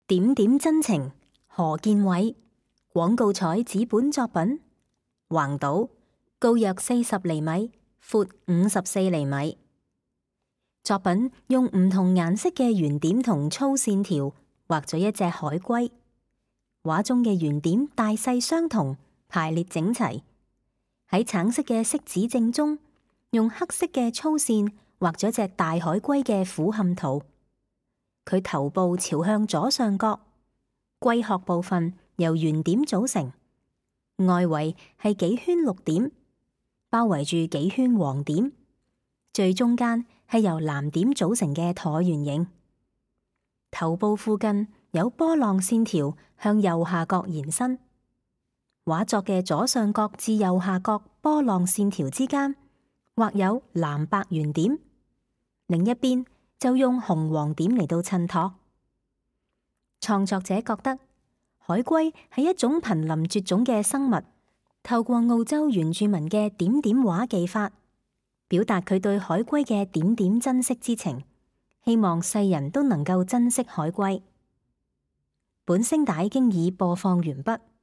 點點真情，何建偉。廣告彩紙本作品，橫島，高約40厘米，闊54厘米。作品用唔同顏色嘅圓點同粗線條畫咗一隻海龜，畫中嘅圓點大細相同，排列整齊。喺橙色嘅色紙正中，用黑色嘅粗線畫咗隻大海龜嘅俯瞰圖。佢頭部朝向左上角，龜殼部分由圓點組成，外圍係幾圈綠點，包圍住幾圈黃點，最中間係由藍點組成嘅橢圓形。頭部附近有波浪線條向右下角延伸。畫作嘅左上角至右下角波浪線條之間畫有藍白圓點，另一邊就用紅黃點嚟到襯托。創作者覺得海龜係一種瀕臨絕種嘅生物，透過澳洲原住民嘅點點畫技法，表達佢對海龜嘅點點珍惜之情，希望世人都能夠珍惜海龜。本聲帶經已播放完畢。